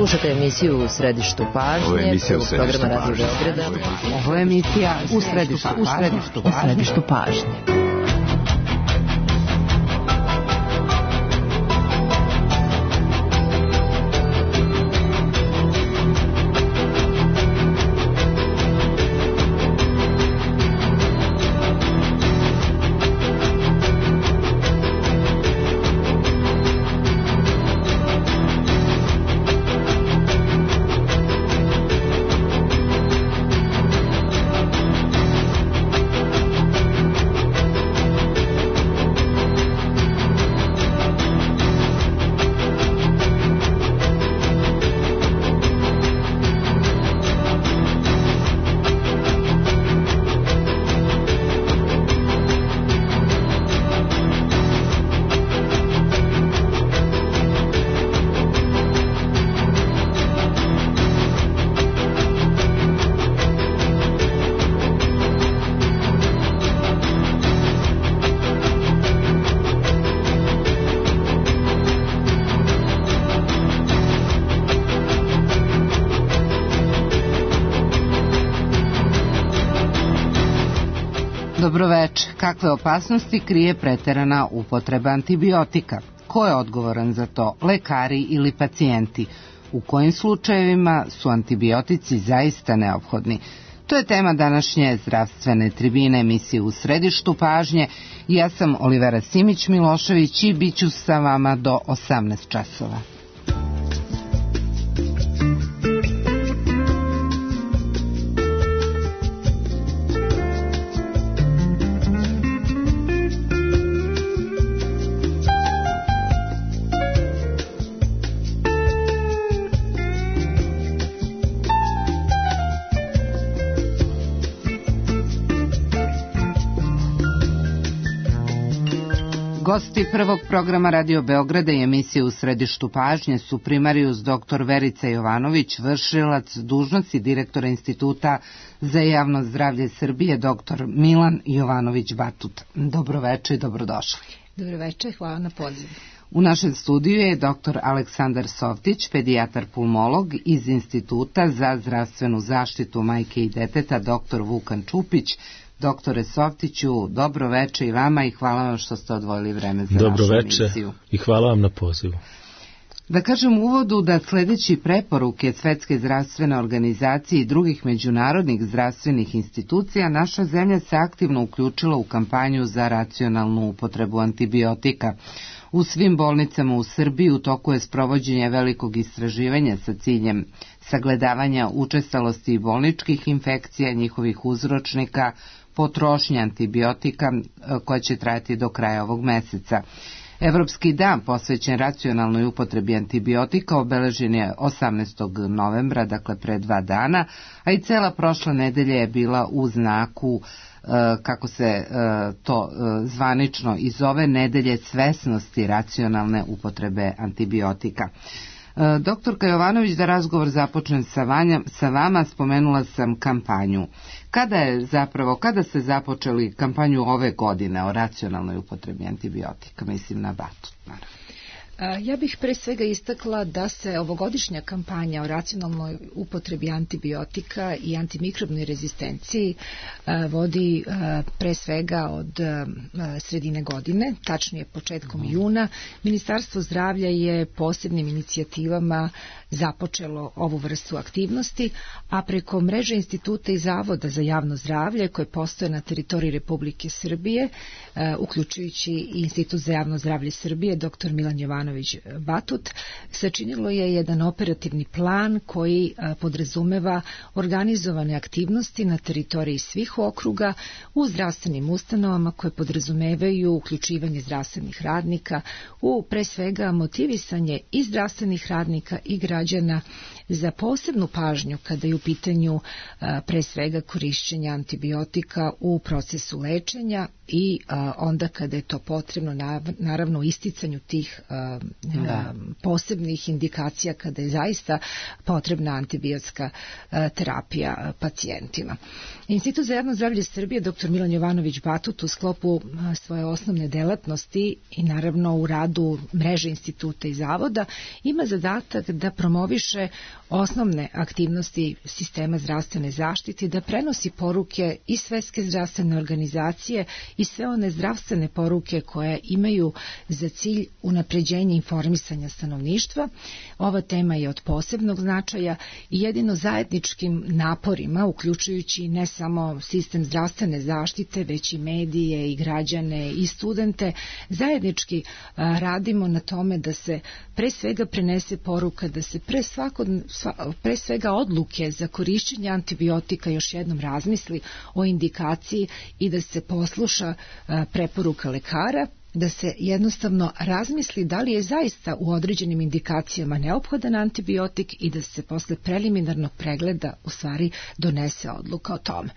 Slušate emisiju U središtu pažnje, programa Radio Beograda. Ovo je emisija U središtu pažnje. Dobroveče. Kakve opasnosti krije preterana upotreba antibiotika? Ko je odgovoran za to? Lekari ili pacijenti? U kojim slučajevima su antibiotici zaista neophodni? To je tema današnje zdravstvene tribine emisije U središtu pažnje. Ja sam Olivera Simić-Milošević i bit ću sa vama do 18 časova. Gosti prvog programa Radio Beograda i emisije U središtu pažnje su primarius dr. Verica Jovanović, vršilac dužnosti direktora Instituta za javno zdravlje Srbije, dr. Milan Jovanović Batut. Dobroveče i dobrodošli. Dobroveče, hvala na pozivu. U našem studiju je dr. Aleksandar Softić, pedijatar pulmolog iz Instituta za zdravstvenu zaštitu majke i deteta, dr. Vukan Čupić. Doktore Softiću, dobro veče i vama i hvala vam što ste odvojili vreme za našu emisiju. Dobro veče i hvala vam na pozivu. Da kažem u uvodu da sledeći preporuke Svetske zdravstvene organizacije i drugih međunarodnih zdravstvenih institucija, naša zemlja se aktivno uključila u kampanju za racionalnu upotrebu antibiotika. U svim bolnicama u Srbiji u toku je sprovođenje velikog istraživanja sa ciljem sagledavanja učestalosti bolničkih infekcija, njihovih uzročnika, potrošnje antibiotika koja će trajati do kraja ovog meseca. Evropski dan posvećen racionalnoj upotrebi antibiotika obeležen je 18. novembra, dakle pre 2 dana, a i cela prošla nedelja je bila u znaku, kako se to zvanično i zove, nedelje svesnosti racionalne upotrebe antibiotika. Doktorka Jovanović, da razgovor započnem sa vama, spomenula sam kampanju. Kada ste započeli kampanju ove godine o racionalnoj upotrebi antibiotika? Mislim na Batut, naravno. Ja bih pre svega istakla da se ovogodišnja kampanja o racionalnoj upotrebi antibiotika i antimikrobnoj rezistenciji vodi pre svega od sredine godine, tačnije početkom juna. Ministarstvo zdravlja je posebnim inicijativama započelo ovu vrstu aktivnosti, a preko mreže instituta i zavoda za javno zdravlje koje postoje na teritoriji Republike Srbije, uključujući i Institut za javno zdravlje Srbije, dr. Milan Jovanović Batut, sačinilo je jedan operativni plan koji podrazumeva organizovane aktivnosti na teritoriji svih okruga u zdravstvenim ustanovama koje podrazumevaju uključivanje zdravstvenih radnika u pre svega motivisanje i zdravstvenih radnika i građana za posebnu pažnju kada je u pitanju pre svega korišćenja antibiotika u procesu lečenja i onda kada je to potrebno, naravno, isticanju tih posebnih indikacija kada je zaista potrebna antibiotska terapija pacijentima. Institut za javno zdravlje Srbije, dr. Milan Jovanović Batut, u sklopu svoje osnovne delatnosti i naravno u radu mreže instituta i zavoda, ima zadatak da promoviše osnovne aktivnosti sistema zdravstvene zaštite, da prenosi poruke i Svetske zdravstvene organizacije i sve one zdravstvene poruke koje imaju za cilj unapređenje informisanja stanovništva. Ova tema je od posebnog značaja i jedino zajedničkim naporima, uključujući ne samo sistem zdravstvene zaštite, već i medije i građane i studente, zajednički radimo na tome da se pre svega prenese poruka, da se pre svega odluke za korišćenje antibiotika još jednom razmisli o indikaciji i da se posluša preporuka lekara, da se jednostavno razmisli da li je zaista u određenim indikacijama neophodan antibiotik i da se posle preliminarnog pregleda u stvari donese odluka o tome.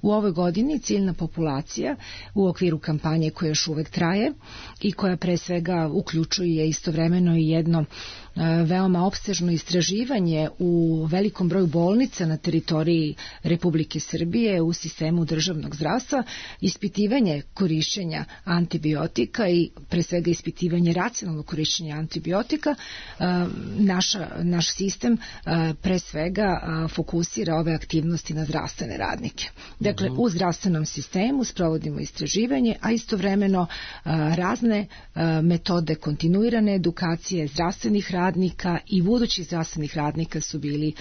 U ovoj godini ciljna populacija u okviru kampanje koja još uvek traje i koja pre svega uključuje istovremeno i jedno veoma opsežno istraživanje u velikom broju bolnica na teritoriji Republike Srbije u sistemu državnog zdravstva, ispitivanje korišćenja antibiotika i pre svega ispitivanje racionalnog korišćenja antibiotika, naš sistem pre svega fokusira ove aktivnosti na zdravstvene radnike. Dakle, u zdravstvenom sistemu sprovodimo istraživanje, a istovremeno razne metode kontinuirane edukacije zdravstvenih radnika i budućih zdravstvenih radnika su bili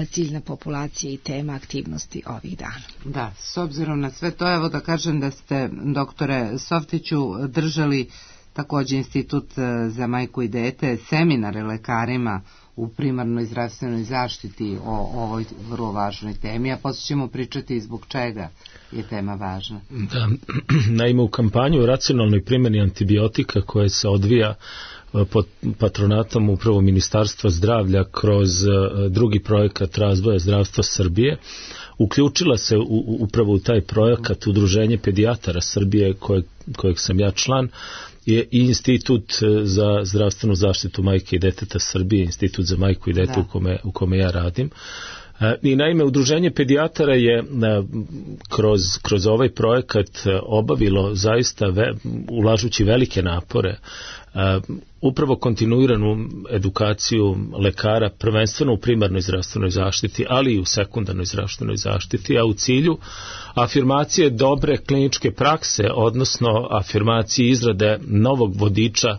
ciljna populacija i tema aktivnosti ovih dana. Da, s obzirom na sve to, evo da kažem da ste, doktore Softiću, držali takođe Institut za majku i dete seminare lekarima u primarnoj zdravstvenoj zaštiti o ovoj vrlo važnoj temi, a posle ćemo pričati zbog čega je tema važna. Da, naime, u kampanju o racionalnoj primjeni antibiotika koja se odvija pod patronatom upravo Ministarstva zdravlja kroz drugi projekat razvoja zdravstva Srbije, uključila se upravo u taj projekat Udruženje pedijatara Srbije kojeg sam ja član, je i Institut za zdravstvenu zaštitu majke i deteta Srbije, Institut za majku i dete u kome ja radim. I naime, Udruženje pedijatara je kroz ovaj projekat obavilo zaista ulažući velike napore upravo kontinuiranu edukaciju lekara, prvenstveno u primarnoj zdravstvenoj zaštiti, ali i u sekundarnoj zdravstvenoj zaštiti, a u cilju afirmacije dobre kliničke prakse, odnosno afirmacije izrade novog vodiča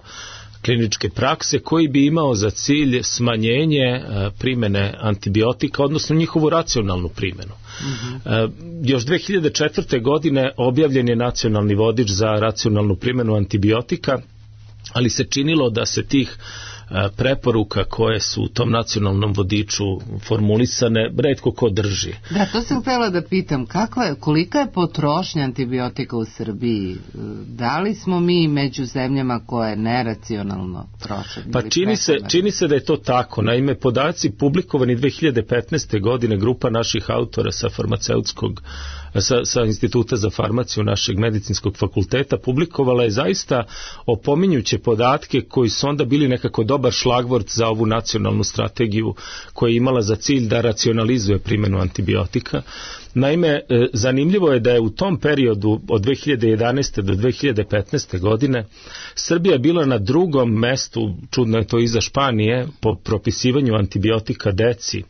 kliničke prakse koji bi imao za cilj smanjenje primene antibiotika, odnosno njihovu racionalnu primjenu. Još 2004. godine objavljen je nacionalni vodič za racionalnu primjenu antibiotika, ali se činilo da se tih preporuka koje su u tom nacionalnom vodiču formulisane retko ko drži. Da, to sam htjela da pitam, kolika je potrošnja antibiotika u Srbiji? Da li smo mi među zemljama koje neracionalno troše? Pa čini se da je to tako. Naime, podaci publikovani 2015. godine, grupa naših autora sa farmaceutskog sa Instituta za farmaciju našeg medicinskog fakulteta publikovala je zaista opominjuće podatke koji su onda bili nekako dobar šlagvort za ovu nacionalnu strategiju koja je imala za cilj da racionalizuje primjenu antibiotika. Naime, zanimljivo je da je u tom periodu od 2011. do 2015. godine Srbija bila na drugom mestu, čudno je to iza Španije, po propisivanju antibiotika deci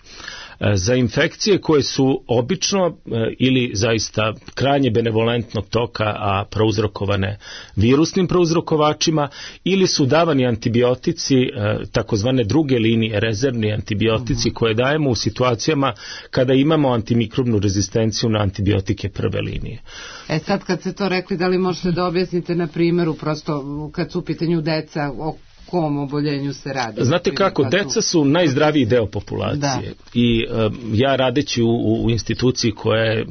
za infekcije koje su obično ili zaista krajnje benevolentnog toka, a prouzrokovane virusnim prouzrokovačima, ili su davani antibiotici, takozvane druge linije, rezervni antibiotici koje dajemo u situacijama kada imamo antimikrobnu rezistenciju na antibiotike prve linije. Sad kad ste to rekli, da li možete da objasnite na primjeru, prosto kad su u pitanju deca, o kom oboljenju se radi? Znate kako, deca su najzdraviji deo populacije i ja radeći u instituciji koja je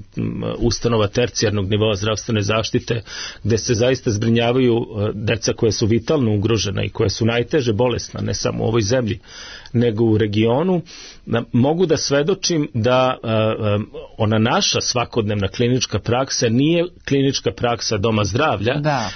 ustanova tercijarnog nivoa zdravstvene zaštite, gde se zaista zbrinjavaju deca koja su vitalno ugrožena i koja su najteže bolesna, ne samo u ovoj zemlji, nego u regionu, mogu da svedočim da ona naša svakodnevna klinička praksa nije klinička praksa doma zdravlja,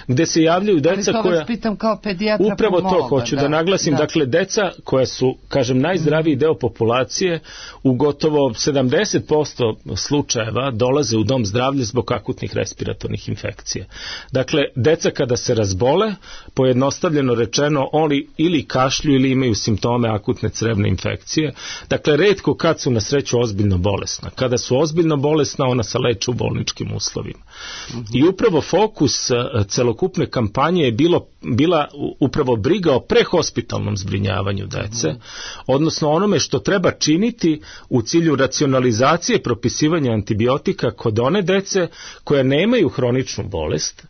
gde se javljaju deca koja... Ali to vas pitam kao pedijatra, upravo to, hoću da naglasim, dakle, deca koja su, kažem, najzdraviji deo populacije, u gotovo 70% slučajeva dolaze u dom zdravlja zbog akutnih respiratornih infekcija. Dakle, deca kada se razbole, pojednostavljeno rečeno, oni ili kašlju ili imaju simptome akutne crevne infekcije. Dakle, retko kad su na sreću ozbiljno bolesna. Kada su ozbiljno bolesna, ona se leče u bolničkim uslovima. I upravo fokus celokupne kampanje je bila upravo briga o prehospitalnom zbrinjavanju dece, odnosno onome što treba činiti u cilju racionalizacije propisivanja antibiotika kod one dece koja nemaju hroničnu bolest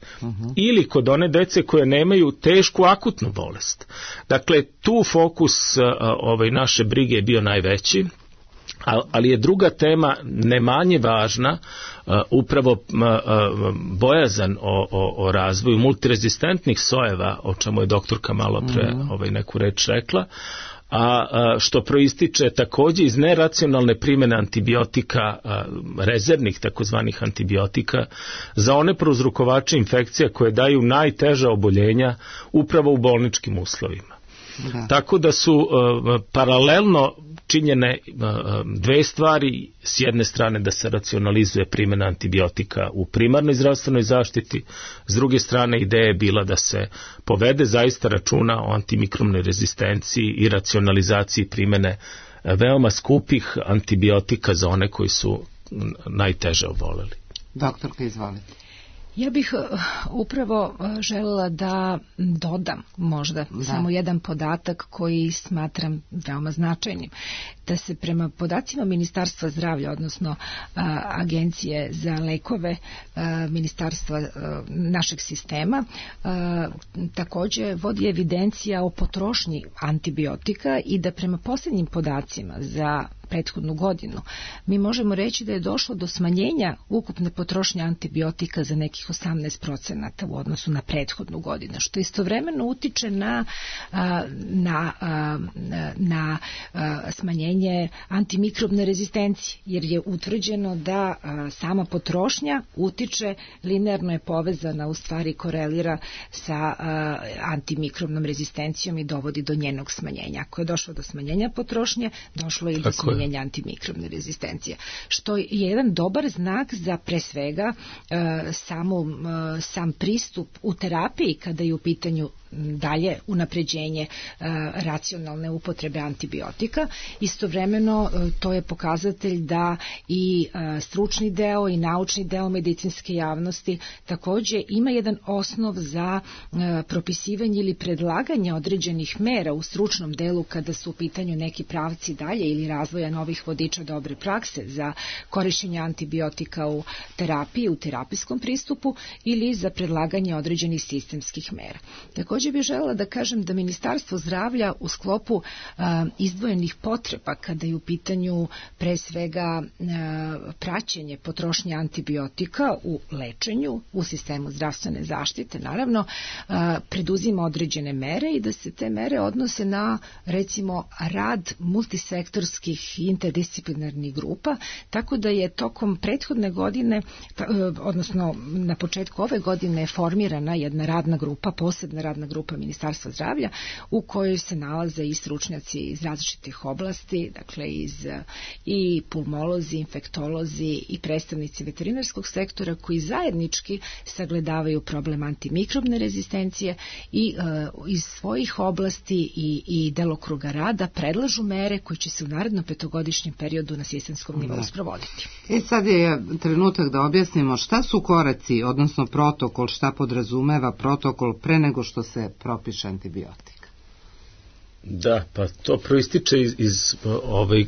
ili kod one dece koje nemaju tešku akutnu bolest. Dakle, tu fokus naše brige je bio najveći, ali je druga tema ne manje važna, upravo bojazan o razvoju multirezistentnih sojeva, o čemu je doktorka malo pre neku reč rekla, a što proističe takođe iz neracionalne primjene antibiotika, rezervnih takozvanih antibiotika, za one prouzrokovače infekcija koje daju najteža oboljenja upravo u bolničkim uslovima. Tako da su paralelno činjene dve stvari, s jedne strane da se racionalizuje primjena antibiotika u primarnoj zdravstvenoj zaštiti, s druge strane ideja je bila da se povede zaista računa o antimikrobnoj rezistenciji i racionalizaciji primjene veoma skupih antibiotika za one koji su najteže oboleli. Doktorka, izvolite. Ja bih upravo želela da dodam možda samo jedan podatak koji smatram veoma značajnim. Da se prema podacima Ministarstva zdravlja, odnosno Agencije za lekove Ministarstva našeg sistema, takođe vodi evidencija o potrošnji antibiotika i da prema posljednjim podacima za prethodnu godinu mi možemo reći da je došlo do smanjenja ukupne potrošnje antibiotika za nekih 18% u odnosu na prethodnu godinu, što istovremeno utiče na smanjenje antimikrobne rezistencije, jer je utvrđeno da sama potrošnja utiče, linearno je povezana, u stvari korelira sa antimikrobnom rezistencijom i dovodi do njenog smanjenja. Ako je došlo do smanjenja potrošnje, došlo je i do smanjenja antimikrobne rezistencije, što je jedan dobar znak za pre svega sam pristup u terapiji kada je u pitanju dalje unapređenje racionalne upotrebe antibiotika. Istovremeno to je pokazatelj da i stručni deo i naučni deo medicinske javnosti takođe ima jedan osnov za propisivanje ili predlaganje određenih mera u stručnom delu kada su u pitanju neki pravci dalje ili razvoja novih vodiča dobre prakse za korišćenje antibiotika u terapiji, u terapijskom pristupu ili za predlaganje određenih sistemskih mera. Takođe bih želela da kažem da Ministarstvo zdravlja u sklopu izdvojenih potreba kada je u pitanju pre svega praćenje potrošnje antibiotika u lečenju, u sistemu zdravstvene zaštite, naravno, preduzima određene mere i da se te mere odnose na, recimo, rad multisektorskih i interdisciplinarnih grupa, tako da je tokom prethodne godine, odnosno na početku ove godine, formirana jedna radna grupa, posebna radna grupa Ministarstva zdravlja, u kojoj se nalaze i stručnjaci iz različitih oblasti, dakle i pulmolozi, infektolozi i predstavnici veterinarskog sektora, koji zajednički sagledavaju problem antimikrobne rezistencije i iz svojih oblasti i delokruga rada predlažu mere koje će se u narednom petogodišnjem periodu na sistemskom nivou sprovoditi. Sad je trenutak da objasnimo šta su koraci, odnosno protokol, šta podrazumeva protokol pre nego što se propiše antibiotik. Da, pa to proističe iz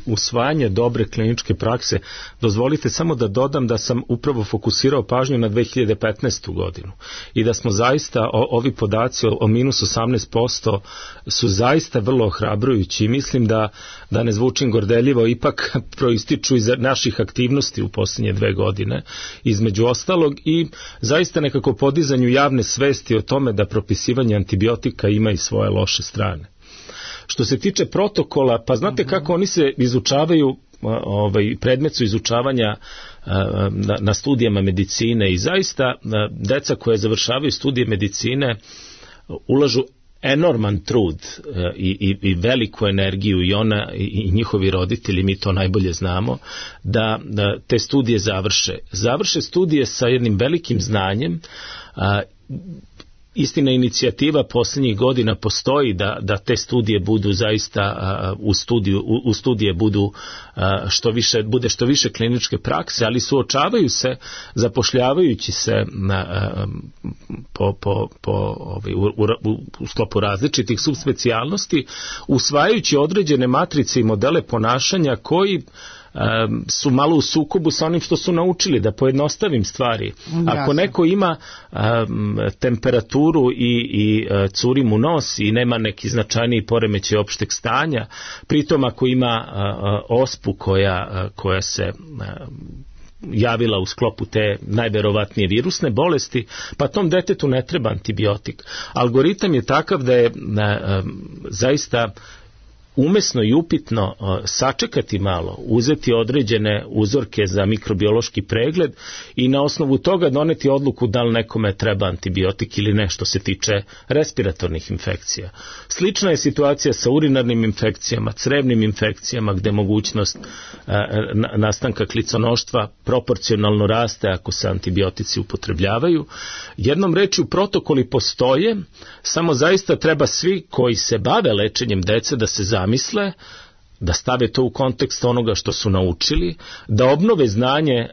usvajanja dobre kliničke prakse. Dozvolite samo da dodam da sam upravo fokusirao pažnju na 2015. godinu i da smo zaista, ovi podaci o minus 18% su zaista vrlo ohrabrujući i mislim da ne zvučim gordeljivo, ipak proističu iz naših aktivnosti u posljednje 2 godine, između ostalog, i zaista nekako podizanju javne svesti o tome da propisivanje antibiotika ima i svoje loše strane. Što se tiče protokola, pa znate kako oni se izučavaju, predmet su izučavanja na studijama medicine i zaista deca koje završavaju studije medicine ulažu enorman trud i veliku energiju i ona i njihovi roditelji, mi to najbolje znamo, da te studije završe studije sa jednim velikim znanjem. Istina, inicijativa posljednjih godina postoji da te studije budu zaista u studije budu što više kliničke prakse, ali suočavaju se, zapošljavajući se u sklopu različitih subspecijalnosti, usvajajući određene matrice i modele ponašanja koji su malo u sukobu sa onim što su naučili, da pojednostavim stvari. Ako neko ima temperaturu i curi mu nos i nema neki značajniji poremećaj opšteg stanja, pritom ako ima ospu koja se javila u sklopu te najverovatnije virusne bolesti, pa tom detetu ne treba antibiotik. Algoritam je takav da je zaista umesno i upitno sačekati malo, uzeti određene uzorke za mikrobiološki pregled i na osnovu toga doneti odluku da li nekome treba antibiotik ili ne što se tiče respiratornih infekcija. Slična je situacija sa urinarnim infekcijama, crevnim infekcijama, gde mogućnost nastanka kliconoštva proporcionalno raste ako se antibiotici upotrebljavaju. Jednom rečju, protokoli postoje, samo zaista treba svi koji se bave lečenjem dece da se zamisle, da stave to u kontekst onoga što su naučili, da obnove znanje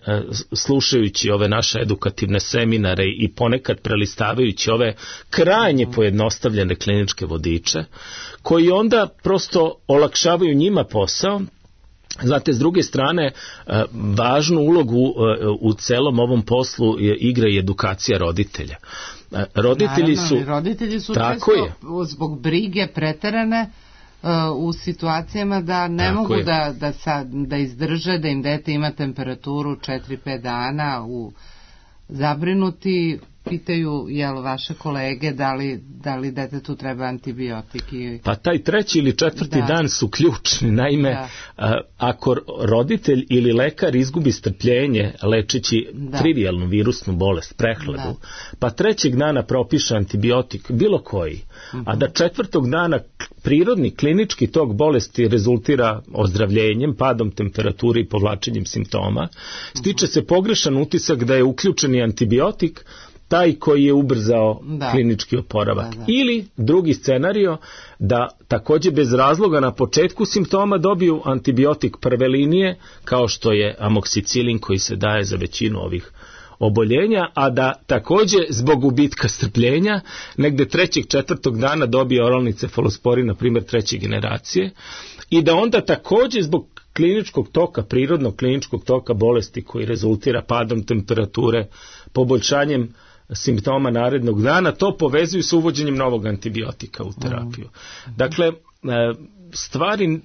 slušajući ove naše edukativne seminare i ponekad prelistavajući ove krajnje pojednostavljene kliničke vodiče, koji onda prosto olakšavaju njima posao. Znate, s druge strane, važnu ulogu u celom ovom poslu igra i edukacija roditelja. Roditelji su često zbog brige preterane u situacijama da ne mogu da izdrže, da im dete ima temperaturu 4-5 dana, zabrinuti, pitaju vaše kolege da li detetu treba antibiotik. Pa taj treći ili četvrti dan su ključni. Naime, ako roditelj ili lekar izgubi strpljenje lečeći trivijalnu virusnu bolest, prehladu, pa trećeg dana propiše antibiotik, bilo koji, a da četvrtog dana prirodni klinički tok bolesti rezultira ozdravljenjem, padom temperature i povlačenjem simptoma, stiče se pogrešan utisak da je uključeni antibiotik taj koji je ubrzao klinički oporavak. Ili drugi scenario, da takođe bez razloga na početku simptoma dobiju antibiotik prve linije, kao što je amoksicilin koji se daje za većinu ovih oboljenja, a da takođe zbog gubitka strpljenja negde 3. 4. dana dobije oralni cefalosporin, na primjer 3. generacije, i da onda takođe zbog kliničkog toka, prirodnog kliničkog toka bolesti koji rezultira padom temperature, poboljšanjem simptoma narednog dana, to povezuju sa uvođenjem novog antibiotika u terapiju. Dakle, stvari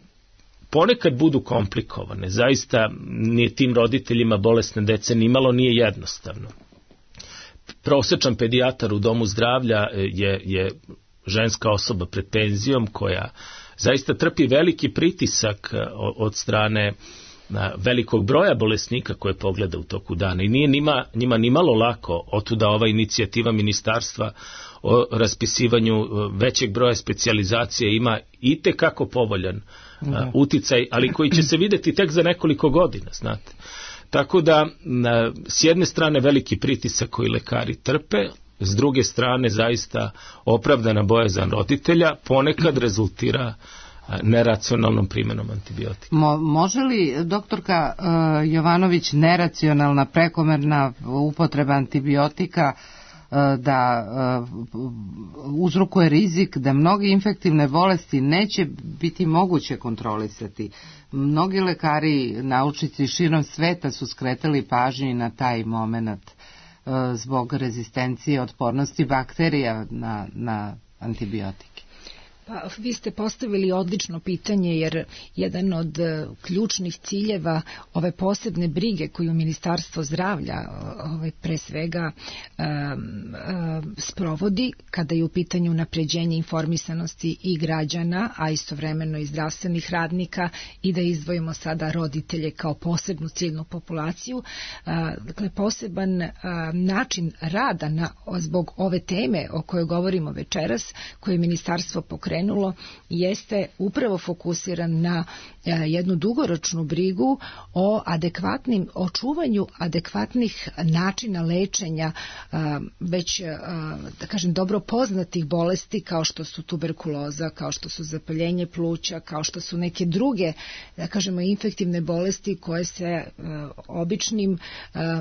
ponekad budu komplikovane. Zaista nije tim roditeljima bolesne dece nimalo nije jednostavno. Prosečan pedijatar u domu zdravlja je ženska osoba pred penzijom koja zaista trpi veliki pritisak od strane velikog broja bolesnika koje pogleda u toku dana i nije njima nimalo lako, otuda ova inicijativa ministarstva o raspisivanju većeg broja specijalizacije ima itekako povoljan uticaj, ali koji će se videti tek za nekoliko godina, znate. Tako da, s jedne strane veliki pritisak koji lekari trpe, s druge strane zaista opravdana bojazan roditelja ponekad rezultira neracionalnom primjenom antibiotika. Može li, doktorka Jovanović, neracionalna, prekomerna upotreba antibiotika da uzrokuje rizik da mnoge infektivne bolesti neće biti moguće kontrolisati? Mnogi lekari, naučnici širom sveta su skretali pažnju na taj moment zbog rezistencije, otpornosti bakterija na antibiotike. Pa, vi ste postavili odlično pitanje, jer jedan od ključnih ciljeva ove posebne brige koju Ministarstvo zdravlja pre svega sprovodi kada je u pitanju unapređenje informisanosti i građana, a istovremeno i zdravstvenih radnika, i da izdvojimo sada roditelje kao posebnu ciljnu populaciju. Dakle, poseban način rada zbog ove teme o kojoj govorimo večeras, koje je Ministarstvo pokrenulo, jeste upravo fokusiran na jednu dugoročnu brigu o očuvanju adekvatnih načina lečenja već, da kažem, dobro poznatih bolesti kao što su tuberkuloza, kao što su zapaljenje pluća, kao što su neke druge, da kažemo, infektivne bolesti koje se običnim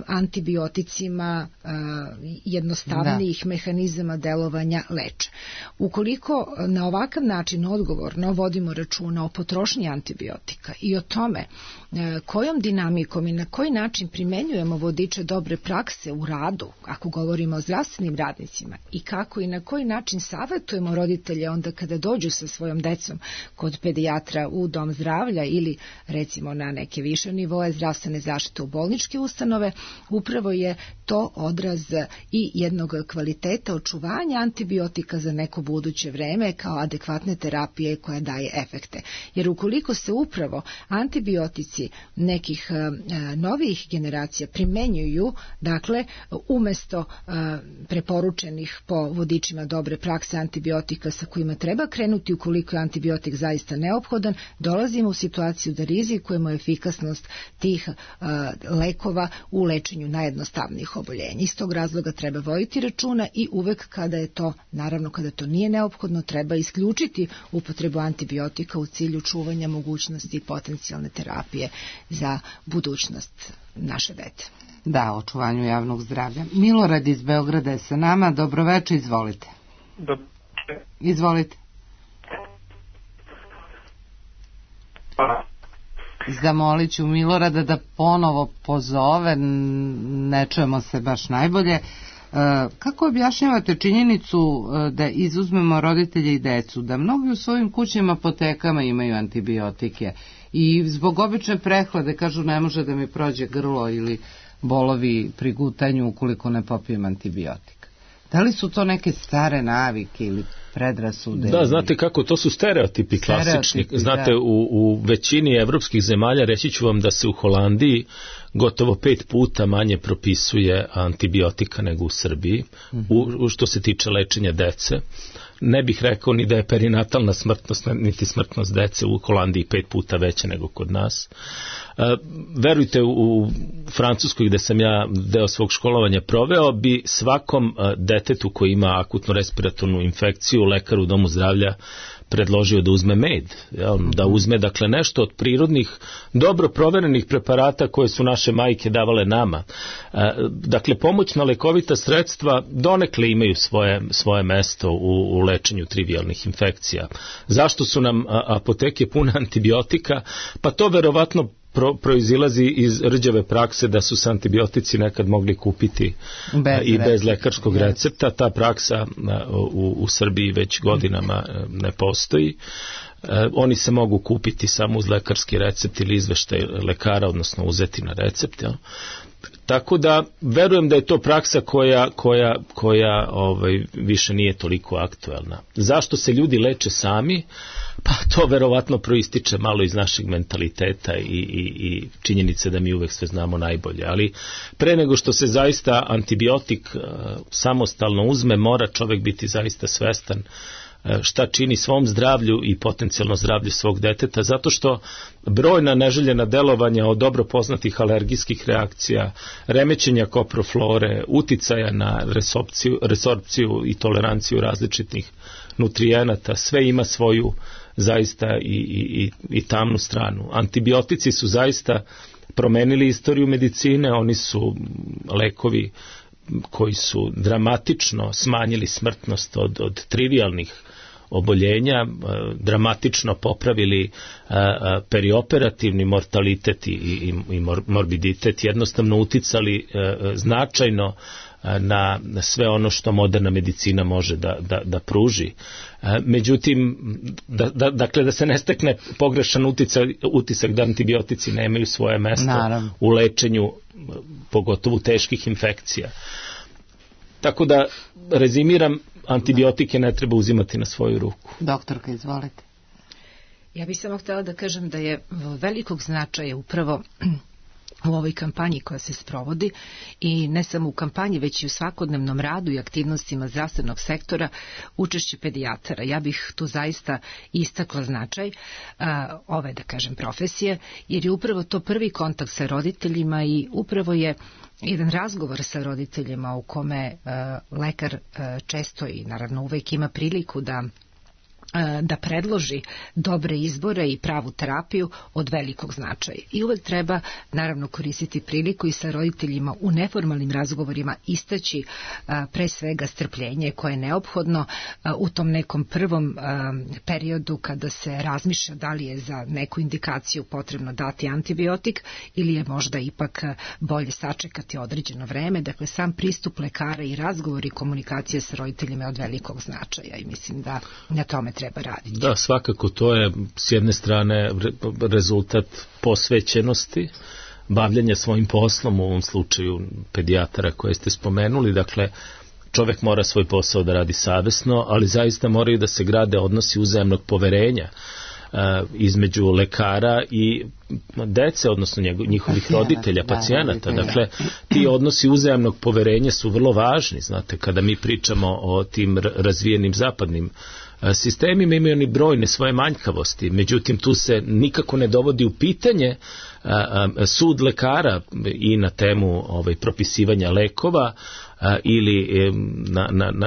antibioticima jednostavnijih mehanizama delovanja leče. Ukoliko na ovakav način odgovorno vodimo računa o potrošnji antibiotika i o tome kojom dinamikom i na koji način primenjujemo vodiče dobre prakse u radu, ako govorimo o zdravstvenim radnicima, i kako i na koji način savjetujemo roditelje onda kada dođu sa svojom decom kod pedijatra u dom zdravlja ili recimo na neke više nivoe zdravstvene zaštite u bolničke ustanove, upravo je to odraz i jednog kvaliteta očuvanja antibiotika za neko buduće vreme kao adekvatne terapije koja daje efekte. Jer ukoliko se upravo antibiotici nekih novih generacija primenjuju, dakle, umesto preporučenih po vodičima dobre prakse antibiotika sa kojima treba krenuti ukoliko je antibiotik zaista neophodan, dolazimo u situaciju da rizikujemo efikasnost tih lekova u lečenju najjednostavnijih oboljenja. Iz tog razloga treba voditi računa i uvek kada je to, naravno kada to nije neophodno, treba isključiti upotrebu antibiotika u cilju čuvanja mogućnosti potencijalne terapije za budućnost naše dete. Da, očuvanju javnog zdravlja. Milorad iz Beograda je sa nama. Dobroveče, izvolite. Izvolite. Zamolit ću Milorada da ponovo pozove, ne čujemo se baš najbolje. Kako objašnjavate činjenicu da izuzmemo roditelje i decu, da mnogi u svojim kućnim apotekama imaju antibiotike i zbog obične prehlade kažu ne može da mi prođe grlo ili bolovi pri gutanju ukoliko ne popijem antibiotik? Da li su to neke stare navike ili predrasude? Da, znate kako, to su stereotipi klasični. Znate, u većini evropskih zemalja, reći ću vam da se u Holandiji gotovo 5 puta manje propisuje antibiotika nego u Srbiji, što se tiče lečenja dece. Ne bih rekao ni da je perinatalna smrtnost, niti smrtnost dece u Holandiji 5 puta veća nego kod nas. Verujte, u Francuskoj gde sam ja deo svog školovanja proveo, bi svakom detetu koji ima akutnu respiratornu infekciju lekar u domu zdravlja predložio da uzme med, da uzme dakle nešto od prirodnih, dobro proverenih preparata koje su naše majke davale nama. Dakle, pomoćna lekovita sredstva donekle imaju svoje mesto u lečenju trivijalnih infekcija. Zašto su nam apoteke pune antibiotika? Pa to verovatno proizilazi iz rđave prakse da su se antibiotici nekad mogli kupiti bez lekarskog recepta. Ta praksa u Srbiji već godinama ne postoji. Oni se mogu kupiti samo uz lekarski recept ili izveštaj lekara, odnosno uzeti na recept. Tako da verujem da je to praksa koja više nije toliko aktuelna. Zašto se ljudi leče sami? Pa to verovatno proističe malo iz našeg mentaliteta i činjenice da mi uvek sve znamo najbolje. Ali pre nego što se zaista antibiotik samostalno uzme, mora čovek biti zaista svestan šta čini svom zdravlju i potencijalno zdravlju svog deteta, zato što brojna neželjena delovanja od dobro poznatih alergijskih reakcija, remećenja koproflore, uticaja na resorpciju i toleranciju različitih nutrijenata, sve ima svoju zaista i tamnu stranu. Antibiotici su zaista promenili istoriju medicine, oni su lekovi koji su dramatično smanjili smrtnost od trivialnih oboljenja, dramatično popravili perioperativni mortalitet i morbiditet, jednostavno uticali značajno na sve ono što moderna medicina može da pruži. Međutim, dakle da se ne stekne pogrešan utisak da antibiotici nemaju svoje mesto u lečenju pogotovo teških infekcija. Tako da rezimiram, antibiotike ne treba uzimati na svoju ruku. Doktorka, izvolite. Ja bih samo htjela da kažem da je velikog značaja upravo u ovoj kampanji koja se sprovodi i ne samo u kampanji, već i u svakodnevnom radu i aktivnostima zdravstvenog sektora učešće pedijatara. Ja bih tu zaista istakla značaj ove, da kažem, profesije, jer je upravo to prvi kontakt sa roditeljima i upravo je jedan razgovor sa roditeljima u kome lekar često i naravno uvek ima priliku da predloži dobre izbore i pravu terapiju od velikog značaja. I uvek treba naravno koristiti priliku i sa roditeljima u neformalnim razgovorima istaći pre svega strpljenje koje je neophodno u tom nekom prvom periodu kada se razmišlja da li je za neku indikaciju potrebno dati antibiotik ili je možda ipak bolje sačekati određeno vreme. Dakle, sam pristup lekara i razgovor i komunikacija sa roditeljima je od velikog značaja i mislim da na tome treba raditi. Da, svakako to je s jedne strane rezultat posvećenosti, bavljanja svojim poslom, u ovom slučaju pedijatara koje ste spomenuli. Dakle, čovek mora svoj posao da radi savesno, ali zaista moraju da se grade odnosi uzajamnog poverenja između lekara i dece, odnosno njihovih roditelja, pacijenata. Dakle, ti odnosi uzajamnog poverenja su vrlo važni. Znate, kada mi pričamo o tim razvijenim zapadnim sistemima, imaju oni brojne svoje manjkavosti, međutim tu se nikako ne dovodi u pitanje sud lekara i na temu propisivanja lekova ili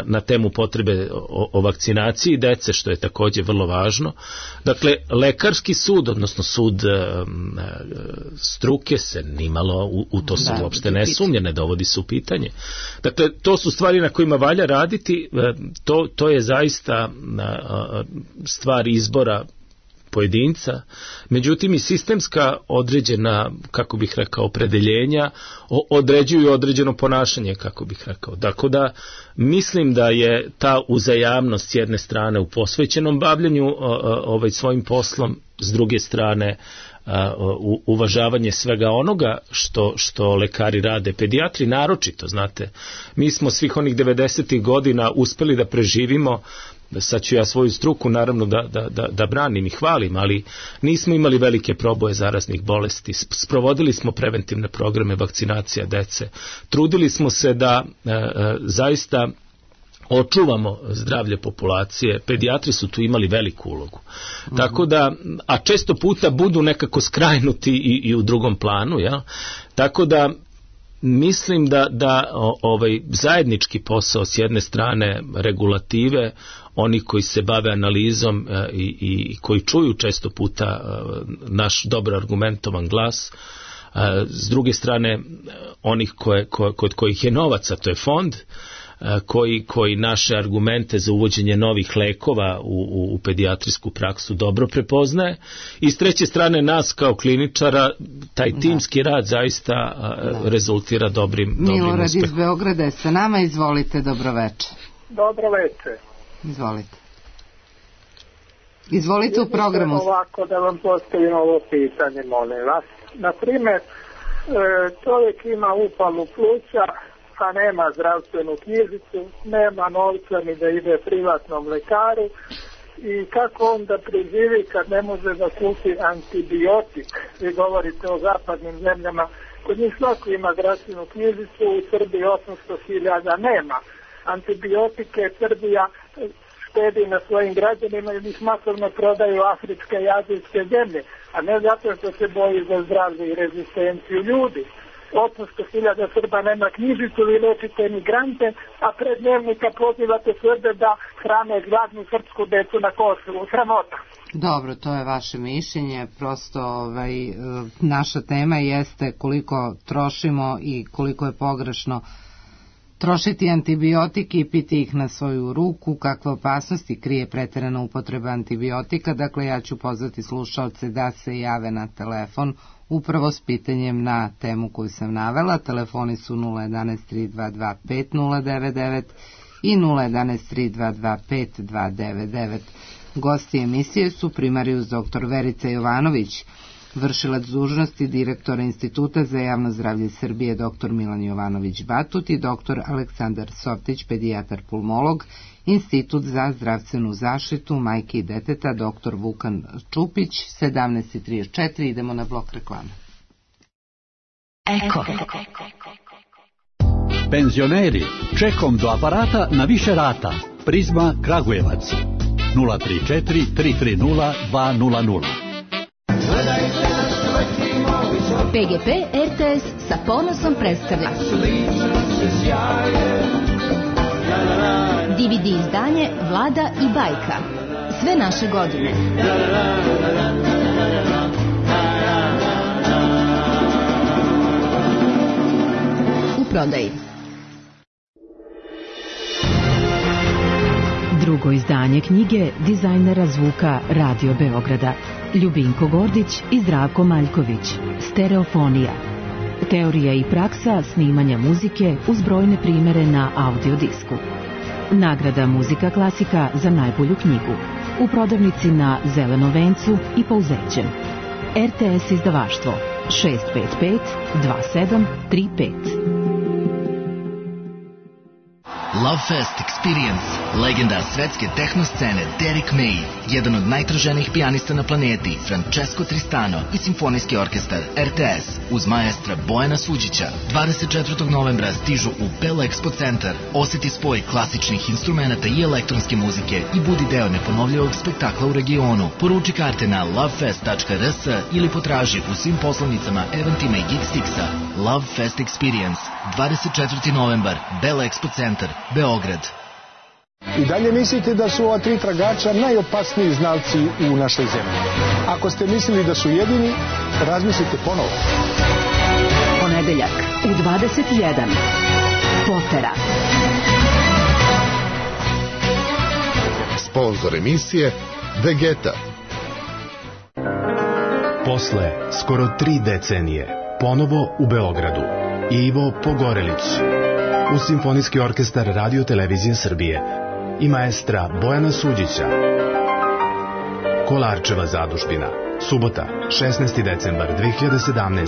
na temu potrebe o vakcinaciji dece, što je također vrlo važno. Dakle, lekarski sud, odnosno sud struke se nimalo, u to se uopšte ne sumnja, ne dovodi se u pitanje. Dakle, to su stvari na kojima valja raditi, to je zaista stvar izbora pojedinca, međutim i sistemska određena, kako bih rekao, opredeljenja određuju određeno ponašanje, kako bih rekao. Dakle, da mislim da je ta uzajamnost s jedne strane u posvećenom bavljanju svojim poslom, s druge strane uvažavanje svega onoga što lekari rade, pedijatri naročito, znate. Mi smo svih onih 90. godina uspeli da preživimo, sad ću ja svoju struku naravno da branim i hvalim, ali nismo imali velike proboje zaraznih bolesti, sprovodili smo preventivne programe vakcinacija dece, trudili smo se da zaista očuvamo zdravlje populacije, pedijatri su tu imali veliku ulogu. Tako da, a često puta budu nekako skrajnuti i u drugom planu, ja? Tako da mislim da zajednički posao s jedne strane regulative, oni koji se bave analizom i koji čuju često puta naš dobro argumentovan glas, s druge strane onih kod kojih je novaca, to je fond, koji naše argumente za uvođenje novih lekova u pedijatrijsku praksu dobro prepoznaje, i s treće strane nas kao kliničara, taj timski rad zaista rezultira dobrim uspehom. Milorad iz Beograda je sa nama, izvolite, dobroveče. Dobroveče. Izvolite u programu. Ovako da vam postavim ovo pitanje, molim vas. Naprimjer, čovjek ima upalu pluća, a nema zdravstvenu knjižicu, nema novca ni da ide privatnom lekaru, i kako onda preživi kad ne može da kupi antibiotik? Vi govorite o zapadnim zemljama, kod njih svako ima zdravstvenu knjižicu, u Srbiji 800.000 nema. Antibiotike Srbija štedi na svojim građanima i ih masovno prodaju afričke i azijske zemlje, a ne zato što se boji za zdravlje i rezistenciju ljudi. 800.000 Srba nema knjižicu, vi lečite migrante, a pred dnevnika pozivate Srbe da hrane gladnu srpsku decu na Kosovu. Sramota. Dobro, to je vaše mišljenje, prosto naša tema jeste koliko trošimo i koliko je pogrešno Trošiti antibiotike i piti ih na svoju ruku, kakve opasnosti krije preterana upotreba antibiotika. Dakle, ja ću pozvati slušaoce da se jave na telefon upravo s pitanjem na temu koju sam navela. Telefoni su 011 322 5099 i 011 322 5299. Gosti emisije su primarius dr. Verica Jovanović, vršilac dužnosti direktora Instituta za javno zdravlje Srbije dr. Milan Jovanović-Batut i dr. Aleksandar Soptić, pedijatar pulmolog, Institut za zdravstvenu zaštitu majke i deteta dr. Vukan Čupić. 17:34, idemo na blok reklame. Eko. Penzioneri, čekom do aparata na više rata. Prizma Kragujevac 034 330 200. PGP RTS sa ponosom predstavlja DVD izdanje Vlada i bajka. Sve naše godine. U prodaji. Drugo izdanje knjige dizajnera zvuka Radio Beograda Ljubinko Gordić i Zdravko Maljković. Stereofonija. Teorija i praksa snimanja muzike uz brojne primere na audiodisku. Nagrada Muzika klasika za najbolju knjigu. U prodavnici na Zelenom vencu i Pouzećem. RTS izdavaštvo 655 2735. Lovefest Experience, legenda svetske tehno scene Derek May, jedan od najtraženijih pijanista na planeti, Francesco Tristano i simfonijski orkestar RTS uz maestra Bojana Suđića. 24. novembra stižu u Bell Expo Centar. Osjeti spoj klasičnih instrumenta i elektronske muzike i budi deo neponovljivog spektakla u regionu. Poruči karte na lovefest.rs ili potraži u svim poslovnicama Eventima i Geekstixa. Lovefest Experience, 24. novembar, Bell Expo Centar, Beograd. I dalje mislite da su ova tri tragača najopasniji znalci u našoj zemlji. Ako ste mislili da su jedini, razmislite ponovo. Ponedeljak u 21. Potera. Sponzor emisije Vegeta. Posle skoro 3 decenije ponovo u Beogradu Ivo Pogorelić uz simfonijski orkestar Radio Televizije Srbije i maestra Bojana Suđića. Kolarčeva zadužbina. Subota, 16. decembar 2017.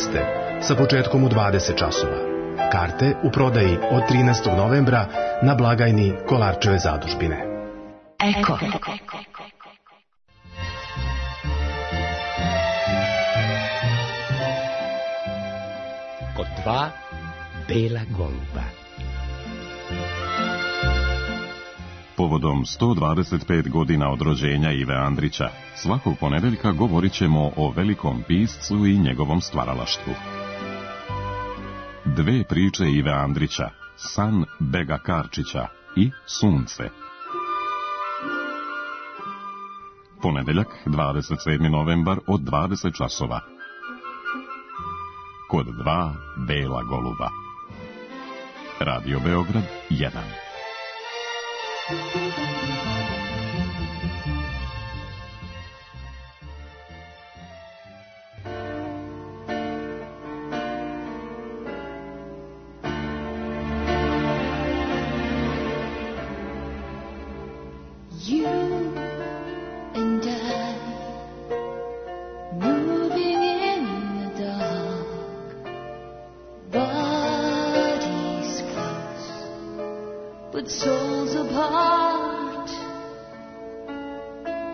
sa početkom u 20 časova. Karte u prodaji od 13. novembra na blagajni Kolarčeve zadužbine. Eko. Kod 2 bela goluba. Povodom 125 godina od rođenja Ive Andrića, svakog ponedeljka govorit ćemo o velikom piscu i njegovom stvaralaštvu. Dve priče Ive Andrića, San Bega Karčića i Sunce. Ponedeljak, 27. novembar od 20 časova. Kod 2 bela goluba. Radio Beograd 1. Souls apart,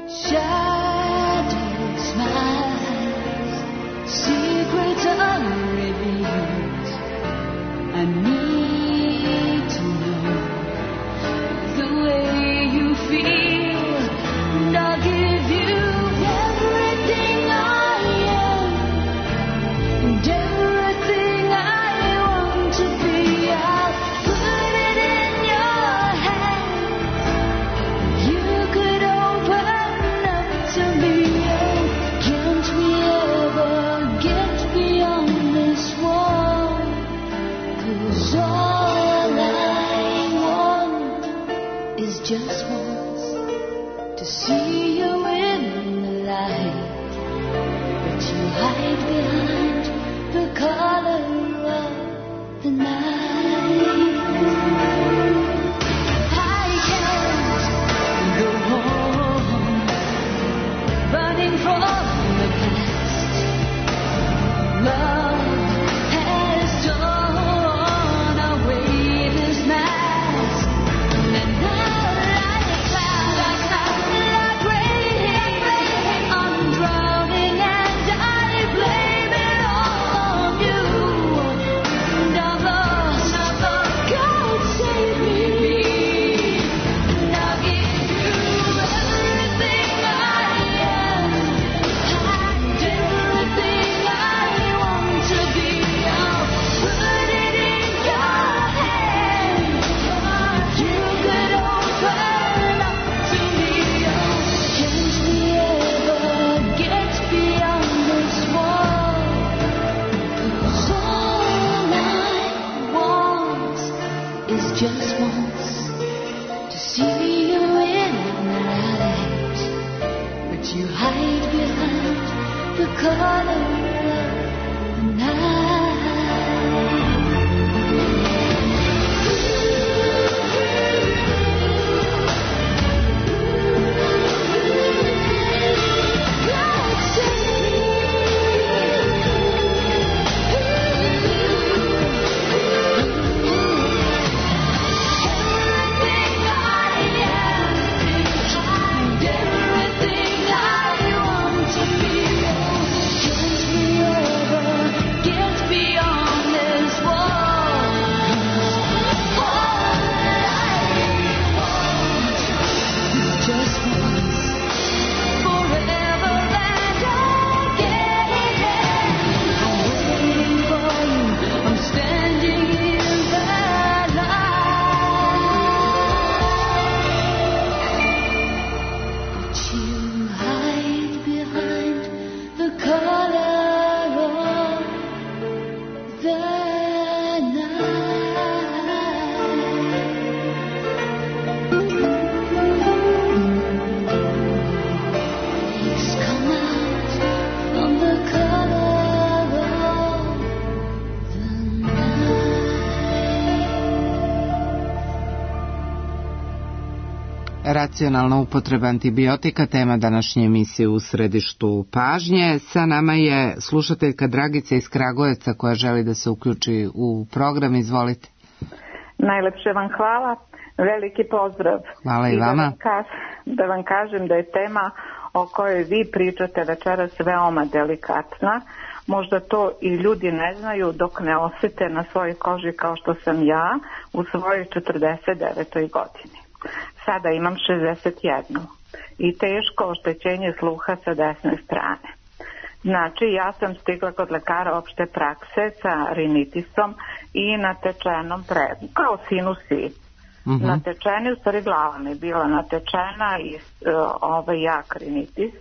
shadows smiles, secrets unrevealed. I need to know the way you feel, and I'll give you everything I am and everything I want to be. I'll put it in your hands. You could open up hide behind the color of the night. I can't go home, running from the past. Love has torn away this mask, and now like clouds, like rain, I'm drowning and I blame it all on you. And I'm lost, God save me. I'll give you everything I am, and everything I want to be. I'll put it in your hands. You could open up to me. Can't we ever get beyond this wall? 'Cause all I want is just once to see you in the light, but you hide behind the color of the night. God save me. Everything I am, and everything I want to be. Can't we ever get beyond this wall? All I want is just once, forever and again. I'm waiting for you, I'm standing in the light, but you hide behind the color of the night. Please come out from the color of the Racionalna upotreba antibiotika, tema današnje emisije U središtu pažnje. Sa nama je slušateljka Dragica iz Kragujevca koja želi da se uključi u program. Izvolite. Najlepše vam hvala, veliki pozdrav. Hvala i vama. Da vam kažem da je tema o kojoj vi pričate večeras veoma delikatna. Možda to i ljudi ne znaju dok ne osjete na svojoj koži kao što sam ja u svojoj 49. godini. Sada imam 61 i teško oštećenje sluha sa desne strane. Znači, ja sam stigla kod lekara opšte prakse sa rinitisom i natečenom kao sinusi. Natečeni, u stvari glava mi je bila natečena i jak rinitis.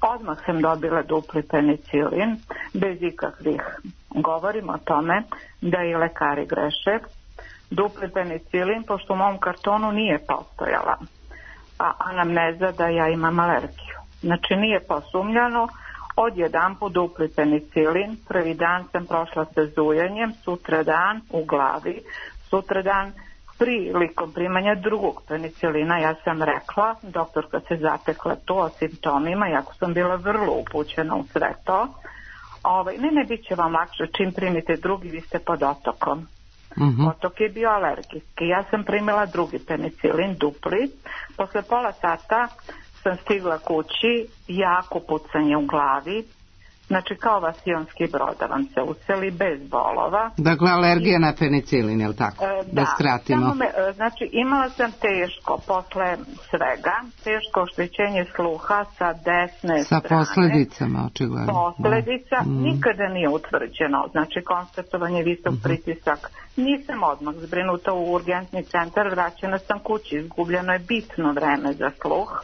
Odmah sam dobila dupli penicilin, bez ikakvih. Govorim o tome da i lekari greše. Dupli penicilin, pošto u mom kartonu nije postojala anamneza da ja imam alergiju. Znači nije posumnjano, odjedanput dupli penicilin, prvi dan sam prošla sa zujanjem, sutradan u glavi, sutradan prilikom primanja drugog penicilina ja sam rekla, doktorka se zatekla to o simptomima, iako sam bila vrlo upućena u sve to. Ne, bit će vam lakše čim primite drugi, vi ste pod otokom. Otok je bio alergijski. Ja sam primila drugi penicilin, dupli. Posle pola sata sam stigla kući, jako pucanje u glavi. Znači kao vasionski brod da vam se useli bez bolova. Dakle, alergija na penicilin, je li tako? Da skratimo. Znači imala sam teško, posle svega, teško oštećenje sluha sa desne strane. Sa posledicama, očigledno. Posledica nikada nije utvrđeno, znači konstatovanje visok pritisak. Nisam odmah zbrinuta u urgentni centar, vraćena sam kući, izgubljeno je bitno vreme za sluh.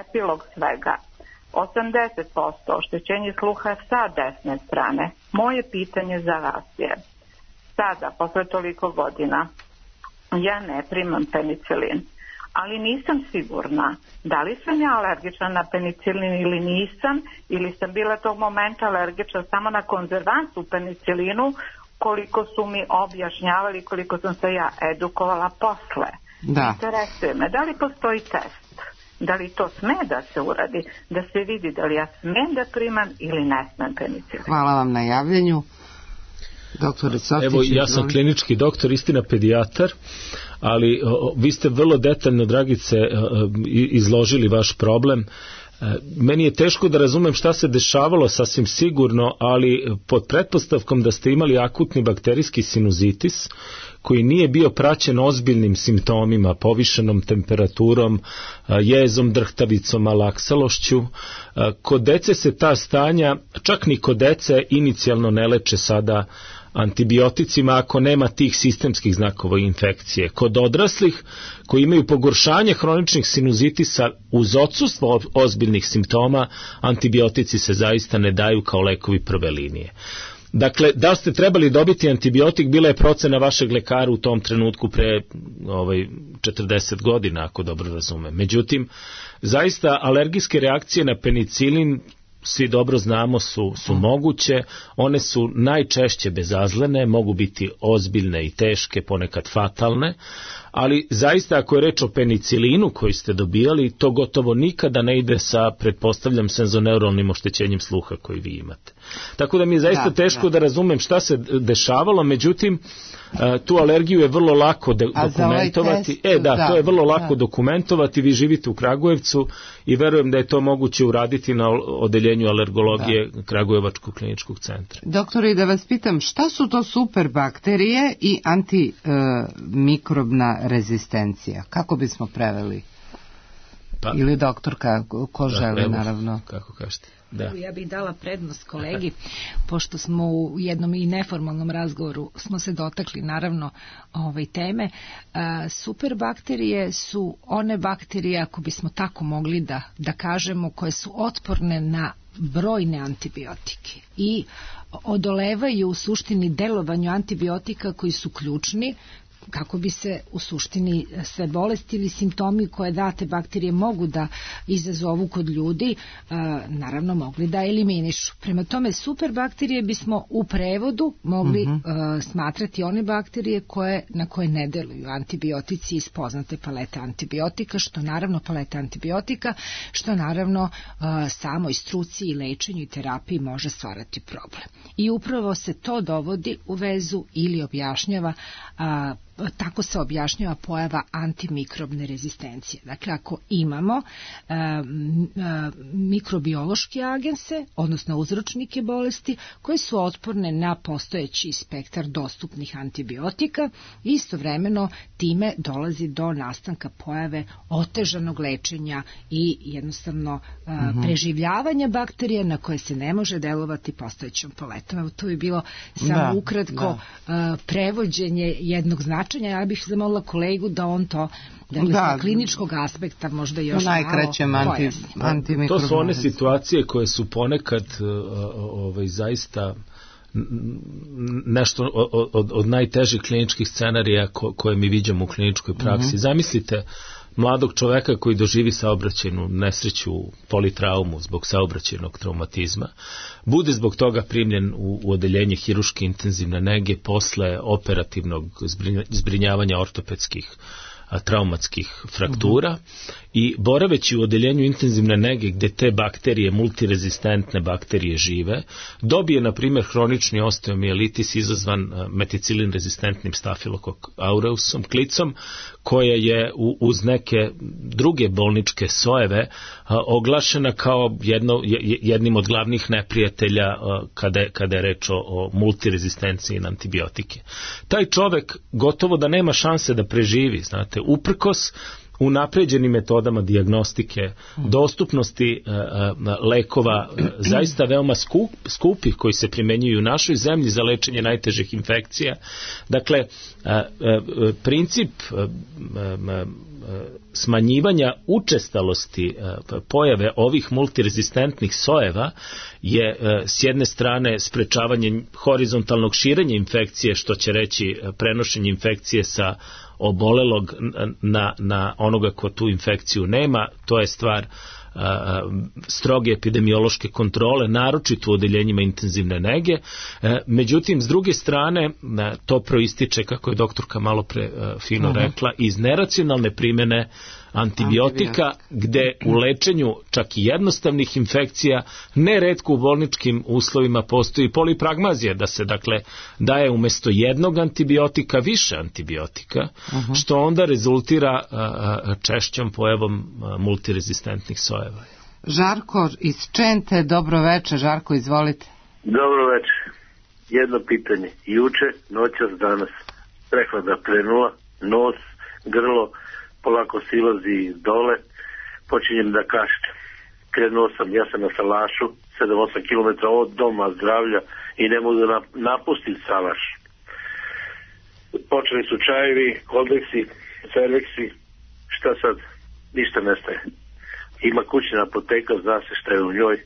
Epilog svega. 80% oštećenje sluha sa desne strane. Moje pitanje za vas je, sada, posle toliko godina, ja ne primam penicilin, ali nisam sigurna da li sam ja alergična na penicilin ili nisam, ili sam bila tog momenta alergična samo na konzervans u penicilinu, koliko su mi objašnjavali, koliko sam se ja edukovala posle. Da. Interesuje me, da li postoji test? Da li to sme da se uradi, da se vidi da li ja smem da primam ili ne smem penicilin? Hvala vam na javljanju. Doktore Coftić, evo, ja sam klinički doktor, istina pedijatar, ali vi ste vrlo detaljno, Dragice, izložili vaš problem. Meni je teško da razumem šta se dešavalo, sasvim sigurno, ali pod pretpostavkom da ste imali akutni bakterijski sinuzitis koji nije bio praćen ozbiljnim simptomima, povišenom temperaturom, jezom, drhtavicom, malaksalošću. Kod dece se ta stanja, čak ni kod dece, inicijalno ne leče sada antibioticima ako nema tih sistemskih znakova infekcije. Kod odraslih koji imaju pogoršanje hroničnih sinuzitisa uz odsustvo ozbiljnih simptoma, antibiotici se zaista ne daju kao lekovi prve linije. Dakle, da ste trebali dobiti antibiotik, bila je procena vašeg lekara u tom trenutku pre 40 godina, ako dobro razumem. Međutim, zaista alergijske reakcije na penicilin, svi dobro znamo, su moguće. One su najčešće bezazlene, mogu biti ozbiljne i teške, ponekad fatalne, ali zaista ako je reč o penicilinu koji ste dobijali, to gotovo nikada ne ide sa, pretpostavljam, senzoneuralnim oštećenjem sluha koji vi imate. Tako da mi je zaista teško da razumem šta se dešavalo, međutim, tu alergiju je vrlo lako dokumentovati. To je vrlo lako dokumentovati. Vi živite u Kragujevcu i verujem da je to moguće uraditi na odeljenju alergologije Kragujevačkog kliničkog centra. Doktore, da vas pitam, šta su to superbakterije i antimikrobna rezistencija? Kako bismo preveli? Ili doktorka, ko želi, naravno. Kako kažete? Da. Ja bih dala prednost kolegi, pošto smo u jednom i neformalnom razgovoru smo se dotakli naravno teme. Superbakterije su one bakterije, ako bismo tako mogli da kažemo, koje su otporne na brojne antibiotike i odolevaju u suštini delovanju antibiotika koji su ključni kako bi se u suštini sve bolesti ili simptomi koje date bakterije mogu da izazovu kod ljudi, naravno mogli da eliminišu. Prema tome, superbakterije bismo u prevodu mogli smatrati one bakterije na koje ne deluju antibiotici iz poznate palete antibiotika, što naravno samoj struci i lečenju i terapiji može stvarati problem. I upravo se to dovodi u vezu ili objašnjava, tako se objašnjava pojava antimikrobne rezistencije. Dakle, ako imamo mikrobiološke agense, odnosno uzročnike bolesti, koje su otporne na postojeći spektar dostupnih antibiotika, istovremeno time dolazi do nastanka pojave otežanog lečenja i jednostavno preživljavanja bakterija na koje se ne može delovati postojećom paletom. Evo, to bi bilo samo ukratko prevođenje jednog značaja. Ja bih zamolila kolegu da on to sa kliničkog aspekta možda još malo pojasni. To su one situacije koje su ponekad zaista nešto od najtežih kliničkih scenarija koje mi viđamo u kliničkoj praksi. Zamislite mladog čoveka koji doživi saobraćajnu nesreću, politraumu zbog saobraćajnog traumatizma, bude zbog toga primljen u odeljenje hirurške intenzivne nege posle operativnog zbrinjavanja ortopedskih traumatskih fraktura i boraveći u odeljenju intenzivne nege gde te bakterije, multirezistentne bakterije žive, dobije na primjer hronični osteomijelitis izazvan meticilin rezistentnim stafilokok aureusom, klicom, koja je uz neke druge bolničke sojeve oglašena kao jednim od glavnih neprijatelja kada je reč o multirezistenciji na antibiotike. Taj čovek gotovo da nema šanse da preživi, znate, uprkos unapređenim metodama dijagnostike, dostupnosti lekova zaista veoma skupih koji se primenjuju u našoj zemlji za lečenje najtežih infekcija. Dakle, princip smanjivanja učestalosti pojave ovih multirezistentnih sojeva je s jedne strane sprečavanje horizontalnog širenja infekcije, što će reći prenošenje infekcije sa obolelog na onoga ko tu infekciju nema, to je stvar stroge epidemiološke kontrole, naročito u odeljenjima intenzivne nege. Međutim, s druge strane, to proističe, kako je doktorka malo pre fino rekla, iz neracionalne primene antibiotika, gde u lečenju čak i jednostavnih infekcija, neretko u bolničkim uslovima postoji polipragmazija, da se dakle daje umesto jednog antibiotika više antibiotika, što onda rezultira češćom pojavom multirezistentnih sojeva. Žarko iz Čente, dobro večer. Žarko, izvolite. Dobro večer. Jedno pitanje. Juče, noćas, danas. Prehlada krenula, nos, grlo, polako silazi dole, počinjem da kašljem. Krenuo sam, ja sam na Salašu, 7-8 km od doma zdravlja i ne mogu da napustim Salaš. Počeli su čajevi, koldeksi, cerveksi, šta sad? Ništa nestaje. Ima kućna apoteka, zna se šta je u njoj,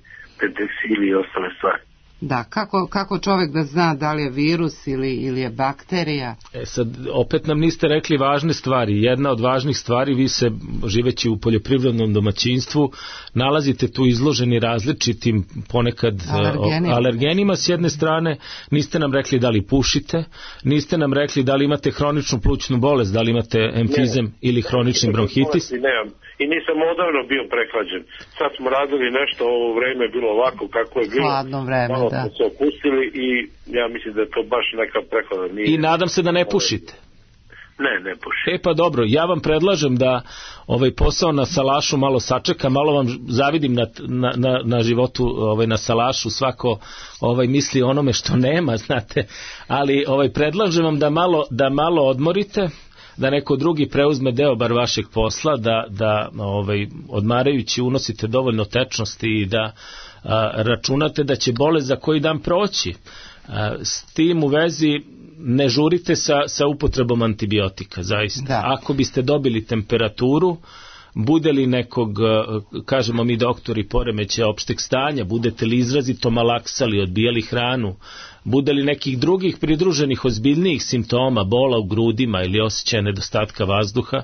penteksili i ostale stvari. Da, kako čovjek da zna da li je virus ili je bakterija? Sad, opet nam niste rekli važne stvari. Jedna od važnih stvari, vi se, živeći u poljoprivrednom domaćinstvu, nalazite tu izloženi različitim ponekad alergenima s jedne strane. Niste nam rekli da li pušite, niste nam rekli da li imate hroničnu plućnu bolest, da li imate emfizem ili hronični bronhitis. Nemam. I nisam odavno bio prehlađen. Sad smo radili nešto, ovo vreme je bilo ovako kako je bilo. Hladno vreme, malo smo se opustili i ja mislim da je to baš neka prehlada. I nadam se da ne pušite. Ne pušim. Pa dobro, ja vam predlažem da ovaj posao na Salašu malo sačeka, malo vam zavidim na životu na Salašu, svako misli onome što nema, znate, ali predlažem vam da malo odmorite, da neko drugi preuzme deo bar vašeg posla, da odmarajući unosite dovoljno tečnosti i da računate da će bolest za koji dan proći. S tim u vezi ne žurite sa upotrebom antibiotika, zaista. Da. Ako biste dobili temperaturu, bude li nekog, kažemo mi doktori, poremećaja opšteg stanja, budete li izrazito malaksali, odbijali hranu, bude li nekih drugih pridruženih ozbiljnijih simptoma, bola u grudima ili osjećaja nedostatka vazduha,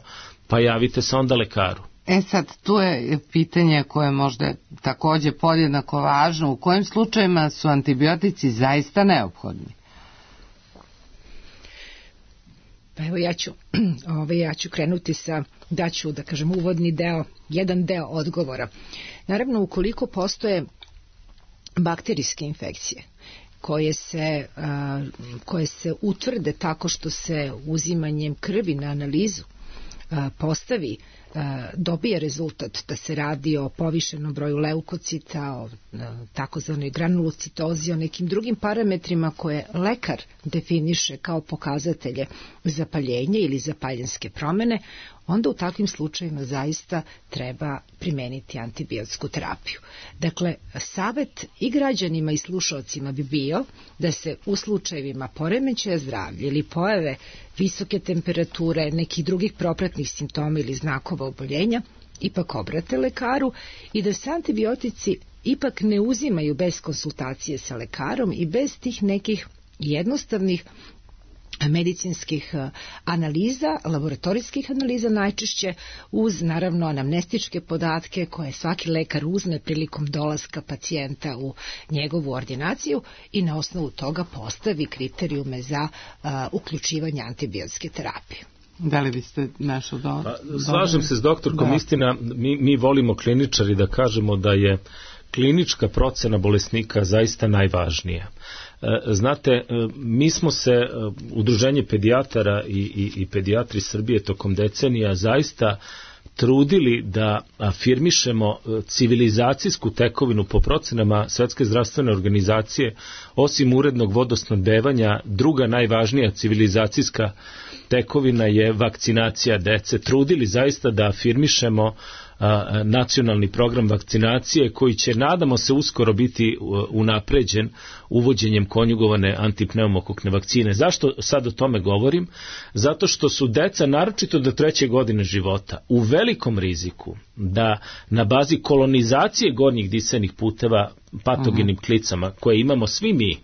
pa javite se onda lekaru. Sad, tu je pitanje koje možda također podjednako važno. U kojim slučajima su antibiotici zaista neophodni? Pa evo ja ću krenuti daću da kažem uvodni deo, jedan deo odgovora. Naravno, ukoliko postoje bakterijske infekcije koje se utvrde tako što se uzimanjem krvi na analizu dobije rezultat da se radi o povišenom broju leukocita, o takozvanoj granulocitozi, o nekim drugim parametrima koje lekar definiše kao pokazatelje zapaljenja ili zapaljenske promene, onda u takvim slučajima zaista treba primeniti antibiotsku terapiju. Dakle, savet i građanima i slušalcima bi bio da se u slučajevima poremećaja zdravlja ili pojave visoke temperature, nekih drugih propratnih simptoma ili znakova oboljenja, ipak obrate lekaru i da se antibiotici ipak ne uzimaju bez konsultacije sa lekarom i bez tih nekih jednostavnih medicinskih analiza, laboratorijskih analiza najčešće, uz naravno anamnestičke podatke koje svaki lekar uzme prilikom dolaska pacijenta u njegovu ordinaciju i na osnovu toga postavi kriterijume za uključivanje antibiotske terapije. Da li biste nešto Slažem se s doktorkom, istina, mi volimo kliničari da kažemo da je klinička procena bolesnika zaista najvažnija. Znate, mi smo se, Udruženje pedijatara i pedijatri Srbije tokom decenija zaista trudili da afirmišemo civilizacijsku tekovinu po procenama Svetske zdravstvene organizacije. Osim urednog vodosnabdevanja, druga najvažnija civilizacijska tekovina je vakcinacija dece. Trudili zaista da afirmišemo nacionalni program vakcinacije koji će, nadamo se, uskoro biti unapređen uvođenjem konjugovane antipneumokokne vakcine. Zašto sad o tome govorim? Zato što su deca, naročito do 3. godine života, u velikom riziku da na bazi kolonizacije gornjih disajnih puteva patogenim klicama koje imamo svi mi,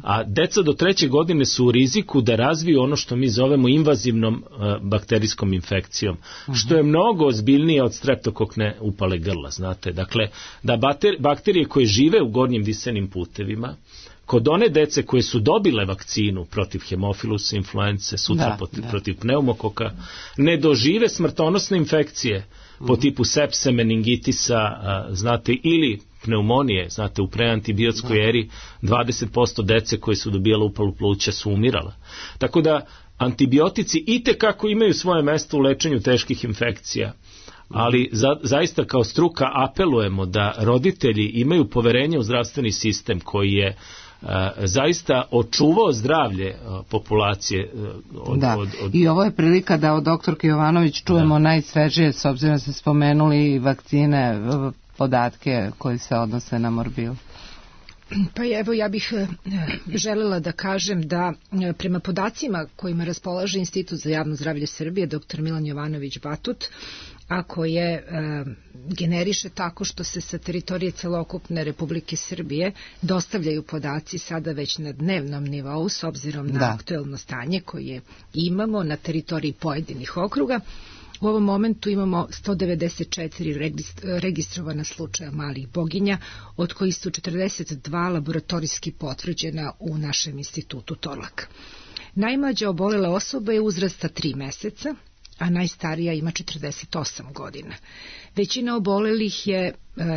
a deca do 3. godine su u riziku da razviju ono što mi zovemo invazivnom bakterijskom infekcijom, što je mnogo ozbiljnije od streptokokne upale grla, znate. Dakle, da bakterije koje žive u gornjim disenim putevima, kod one dece koje su dobile vakcinu protiv hemofilusa, influence, sutra protiv pneumokoka, ne dožive smrtonosne infekcije po tipu sepse, meningitisa, znate, ili pneumonije, znate, u preantibiotskoj eri 20% dece koje su dobijale upalu pluća su umirala. Tako da antibiotici itekako imaju svoje mesto u lečenju teških infekcija, ali zaista kao struka apelujemo da roditelji imaju poverenje u zdravstveni sistem koji je zaista očuvao zdravlje populacije. I ovo je prilika da od doktorke Jovanović čujemo najsvežije, s obzirom da ste spomenuli vakcine, podatke koji se odnose na morbil. Pa evo, ja bih želela da kažem da prema podacima kojima raspolaže Institut za javno zdravlje Srbije, dr. Milan Jovanović Batut, a koje generiše tako što se sa teritorije celokupne Republike Srbije dostavljaju podaci sada već na dnevnom nivou s obzirom na aktuelno stanje koje imamo na teritoriji pojedinih okruga. U ovom momentu imamo 194 registrovana slučaja malih boginja, od kojih su 42 laboratorijski potvrđena u našem institutu Torlak. Najmlađa obolela osoba je uzrasta 3 meseca, a najstarija ima 48 godina. Većina obolelih je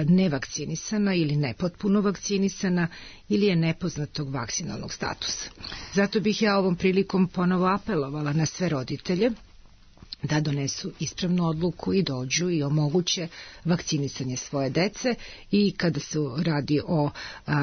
nevakcinisana ili nepotpuno vakcinisana ili je nepoznatog vakcinalnog statusa. Zato bih ja ovom prilikom ponovo apelovala na sve roditelje da donesu ispravnu odluku i dođu i omoguće vakcinisanje svoje dece, i kada se radi o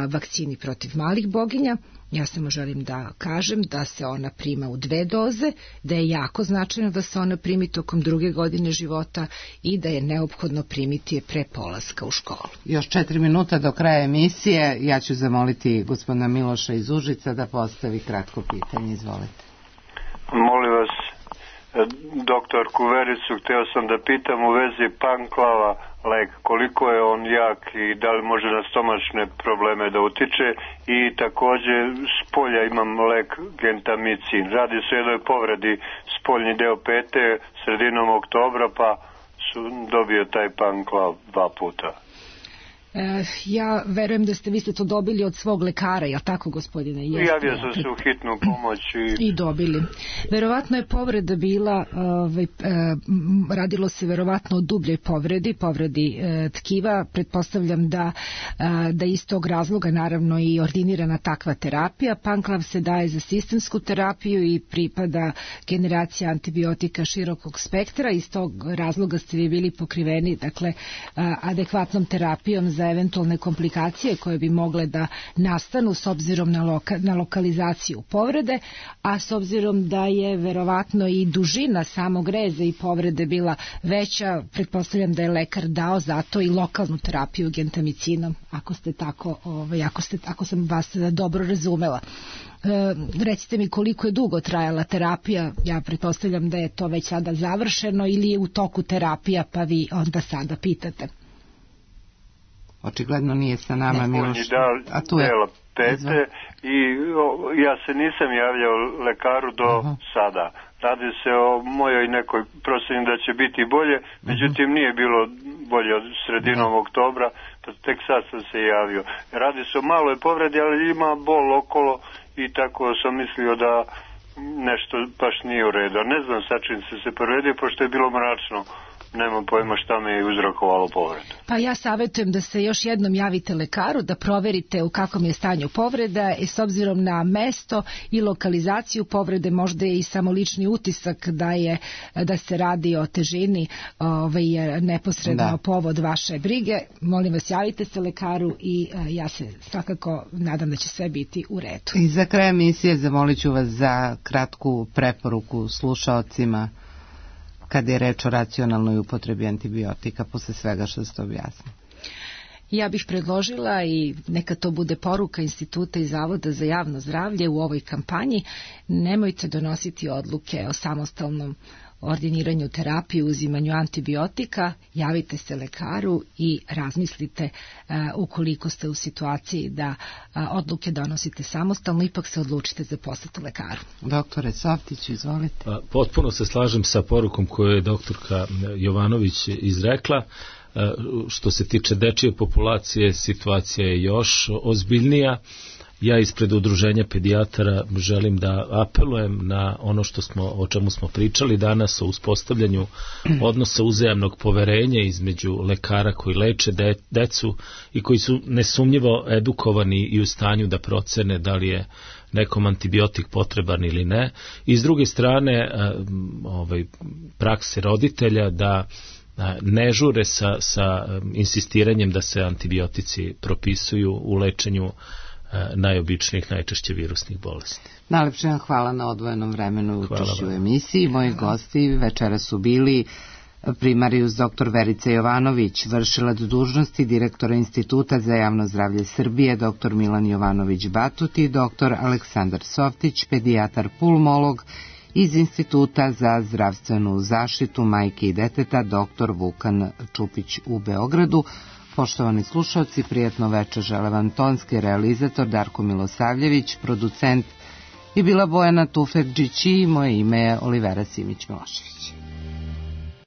vakcini protiv malih boginja, ja samo želim da kažem da se ona prima u 2 doze, da je jako značajno da se ona primi tokom 2. godine života i da je neophodno primiti je pre polaska u školu. Još 4 minuta do kraja emisije. Ja ću zamoliti gospodina Miloša iz Užica da postavi kratko pitanje. Izvolite. Molim vas, doktorku Vericu, hteo sam da pitam u vezi panklava lek, koliko je on jak i da li može na stomačne probleme da utiče, i takođe s polja imam lek gentamicin. Radi se o jednoj povredi spoljni deo pete sredinom oktobra, pa su dobio taj panklav 2 puta. Ja verujem da ste vi to dobili od svog lekara, jel tako, gospodine? Javio sam se u hitnu pomoć i dobili. Verovatno je povreda bila, radilo se verovatno o dubljoj povredi tkiva. Pretpostavljam da iz tog razloga naravno i ordinirana takva terapija. Panklav se daje za sistemsku terapiju i pripada generacija antibiotika širokog spektra. Iz tog razloga ste vi bili pokriveni, dakle, adekvatnom terapijom za eventualne komplikacije koje bi mogle da nastanu s obzirom na lokalizaciju povrede, a s obzirom da je verovatno i dužina samog reza i povrede bila veća, pretpostavljam da je lekar dao zato i lokalnu terapiju gentamicinom, ako sam vas dobro razumela. Recite mi koliko je dugo trajala terapija, ja pretpostavljam da je to već sada završeno ili je u toku terapija, pa vi onda sada pitate. Očigledno nije sa nama Miloš. A tu je pete i ja se nisam javljao lekaru do sada. Radi se o mojoj nekoj proceni da će biti bolje, međutim nije bilo bolje od sredinom oktobra, pa tek sad sam se javio. Radi se o maloj povredi, ali ima bol okolo i tako sam mislio da nešto baš nije u redu. Ne znam sa čim se povredio, pošto je bilo mračno. Nemam pojma šta me je uzrokovalo povredu. Pa ja savjetujem da se još jednom javite lekaru, da proverite u kakvom je stanju povreda, i s obzirom na mesto i lokalizaciju povrede možda je i samo lični utisak da se radi o težini neposredno povod vaše brige. Molim vas, javite se lekaru i ja se svakako nadam da će sve biti u redu. I za kraj emisije zamolit ću vas za kratku preporuku slušaocima kada je reč o racionalnoj upotrebi antibiotika posle svega što ste objasnili. Ja bih predložila, i neka to bude poruka Instituta i Zavoda za javno zdravlje u ovoj kampanji, nemojte donositi odluke o samostalnom ordiniranju terapije, uzimanju antibiotika, javite se lekaru i razmislite ukoliko ste u situaciji da odluke donosite samostalno, ipak se odlučite za posete lekaru. Doktore Softić, izvolite. Potpuno se slažem sa porukom koju je doktorka Jovanović izrekla. Što se tiče dečije populacije, situacija je još ozbiljnija. Ja ispred udruženja pedijatara želim da apelujem na ono o čemu smo pričali danas, o uspostavljanju odnosa uzajamnog poverenja između lekara koji leče decu i koji su nesumnjivo edukovani i u stanju da procene da li je nekom antibiotik potreban ili ne. I s druge strane prakse roditelja da ne žure sa insistiranjem da se antibiotici propisuju u lečenju najobičnijih, najčešće virusnih bolesti. Najlepše vam hvala na odvojenom vremenu učešću u emisiji. Moji gosti večera su bili primarijus dr. Verica Jovanović, vršilac dužnosti direktora Instituta za javno zdravlje Srbije, dr. Milan Jovanović Batut i dr. Aleksandar Softić, pedijatar pulmolog iz Instituta za zdravstvenu zaštitu majke i deteta, dr. Vukan Čupić u Beogradu. Poštovani slušalci, prijatno večer žele vam tonski realizator Darko Milosavljević, producent je bila Bojana Tufekđić i moje ime je Olivera Simić-Milošević.